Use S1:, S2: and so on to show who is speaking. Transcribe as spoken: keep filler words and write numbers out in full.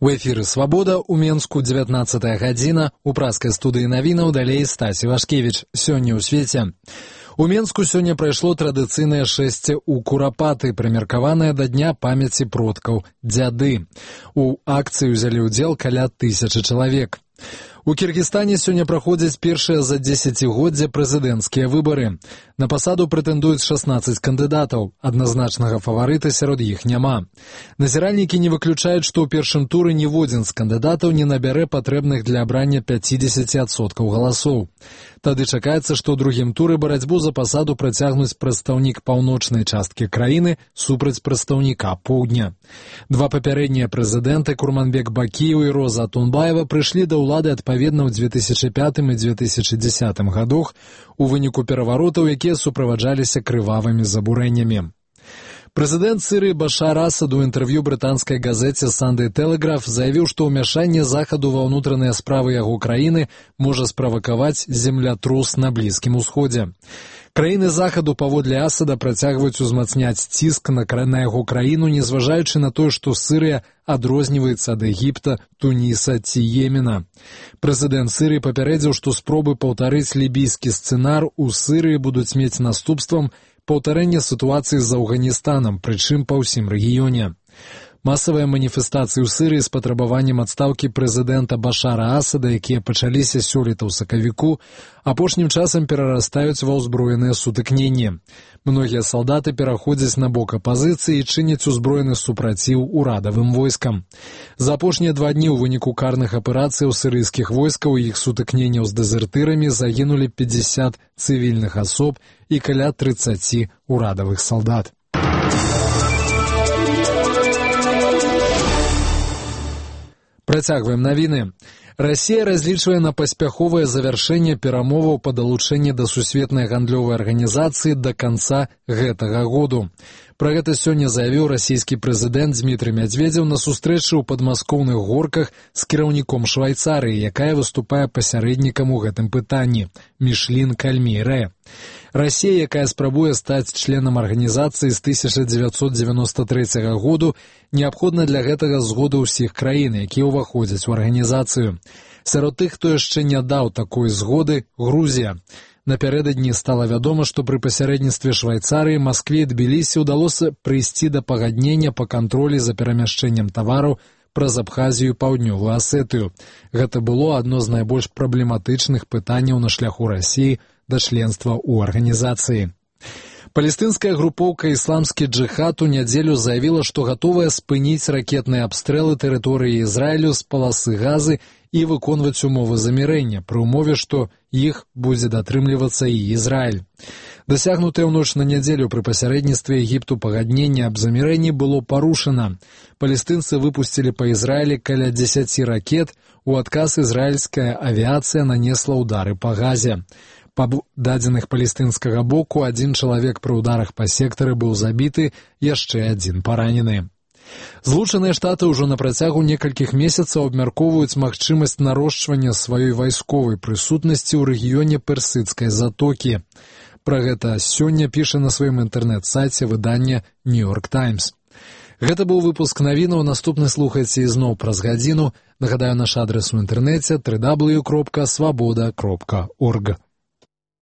S1: У эфіры «Свабода» ў Менску дзевятнаццатая гадзіна, у праскай студыі навінаў далей Стасі Вашкевіч. Сёння ў свеце. У Менску сёння прайшло традыцыйнае шэсце ў Курапаты, прымеркаванае да дня памяці продкаў дзяды. У акцыі ўзялі ўдзел каля тысячы чалавек. У Кіргізстане сёння праходзяць першыя за дзесяцігоддзя прэзідэнцкія выбары. На пасаду прэтэндуюць шаснаццаць кандыдатаў, адназначнага фаварыта сярод іх няма. Назіральнікі не выключаюць, што ў першым туры ніводзін з кандыдатаў не набярэ патрэбных для абрання пяцідзесяці адсоткаў галасоў. Тады чакаецца, што ў другім туры барацьбу за пасаду працягнуць прадстаўнік паўночнай часткі краіны супраць прадстаўніка поўдня. Два папярэднія прэзідэнты Курманбек Бакіеў і Роза Атунбаева прыйшлі да ўлады адпаведна ў дзве тысячы пятым і дзве тысячы дзесятым гадах у выніку пераваротаў, якія суправаджаліся крывавымі забурэннямі. Прэзідэнт Сірыі Башар Асад у інтэрв'ю брытанскай газеце «Санday Telegraph» заявіў, што ўмяшанне Захаду ва ўнутраныя справы яго краіны можа справакаваць землятрус на Блізкім Усходзе. Краіны Захаду, паводле Асада, працягваюць узмацняць ціск на яго краіну, незважаючы на тое, што Сірыя адрозніваецца ад Егіпта, Туніса ці Йемена. Прэзідэнт Сірыі папярэдзіў, што спробы паўтарыць лібійскі сцэнар у Сірыі будуць мець наступствам паўтарэнне сітуацыі з Афганістанам, прычым па ўсім рэгіёне. Масавыя маніфестацыі ў Сірыі з патрабаваннем адстаўкі прэзідэнта Башара Асада, якія пачаліся сёлета ў сакавіку, апошнім часам перарастаюць ва ўзброеныя сутыкненні. Многія салдаты пераходзяць на бок апазіцыі і чыняць узброены супраціў урадавым войскам. За апошнія два дні ў выніку карных аперацыяў сірыйскіх войскаў і іх сутыкненняў з дэзертырамі загінулі пятьдесят цывільных асоб і каля трыццаць урадавых салдат. Працягваем навіны. Расія разлічвае на паспяховае завяршэнне перамоваў па далучэнні да сусветнай гандлёвай арганізацыі да канца гэтага году. Пра гэта сёння заявіў расійскі прэзідэнт Дзмітрый Мядзведзеў на сустрэчы ў падмаскоўных горках з кіраўніком Швайцарыі, якая выступае пасярэднікам у гэтым пытанні – Мішлін Кальмейрэ. Расія, якая спрабуе стаць членам арганізацыі з тысяча дзевяцьсот дзевяноста трэцяга году, неабходна для гэтага згода ўсіх краін, якія ўваходзяць у арганізацыю. Сярод тых, хто яшчэ не даў такой згоды, Грузія. Напярэдадні стала вядома, што пры пасярэдніцтве Швайцарыі Маскве і Тбілісі ўдалося прыйсці да пагаднення па кантролі за перамяшчэннем тавараў праз Абхазію і Паўднёвую Асетыю. Гэта было адно з найбольш праблематычных пытанняў на шляху Расіі да членства ў арганізацыі. Палестынская групоўка «Ісламскі джыхад» у нядзелю заявіла, што гатовая спыніць ракетныя абстрэлы тэрыторыі Ізраілю з паласы Газы і выконваць умовы замірэння, пры ўмове, што іх будзе датрымлівацца і Ізраіль. Дасягнутае ў ноч на нядзелю пры пасярэдніцтве Егіпту пагадненне аб замірэнні было парушана. Палестынцы выпусцілі па Ізраілі каля дзесяці ракет, у адказ ізраільская авіяцыя нанесла ўдары па Газе. Па дадзеных палестынскага боку, адзін чалавек пры ўдарах па сектары быў забіты, яшчэ адзін паранены. Злучаныя Штаты ўжо на працягу некалькіх месяцаў абмяркоўваюць магчымасць нарошчвання сваёй вайсковай прысутнасці ў рэгіёне Персідскай затокі. Пра гэта сёння піша на сваім інтэрнэт-сайце выдання «Нью-Йорк Таймс». Гэта быў выпуск навінаў, наступны слухайце ізноў праз гадзіну. Нагадаю, наш адрес у інтэрнэце дабл ю дабл ю дабл ю кропка свабода кропка орг.